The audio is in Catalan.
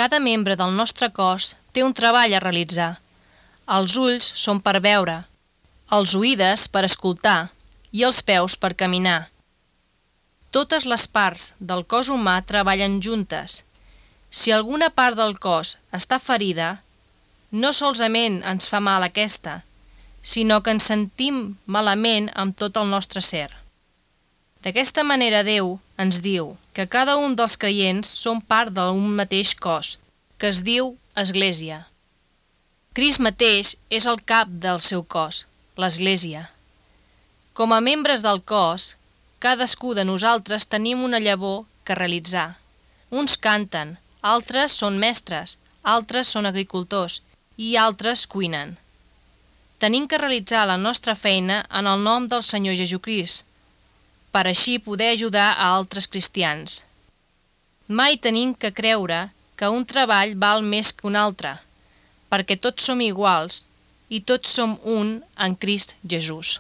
Cada membre del nostre cos té un treball a realitzar. Els ulls són per veure, els oïdes per escoltar i els peus per caminar. Totes les parts del cos humà treballen juntes. Si alguna part del cos està ferida, no solament ens fa mal aquesta, sinó que ens sentim malament amb tot el nostre ser. D'aquesta manera Déu ens diu que cada un dels creients som part d'un mateix cos, que es diu Església. Crist mateix és el cap del seu cos, l'Església. Com a membres del cos, cadascú de nosaltres tenim una llavor que realitzar. Uns canten, altres són mestres, altres són agricultors i altres cuinen. Tenim que realitzar la nostra feina en el nom del Senyor Jesucrist, per així poder ajudar a altres cristians. Mai tenim que creure que un treball val més que un altre, perquè tots som iguals i tots som un en Crist Jesús.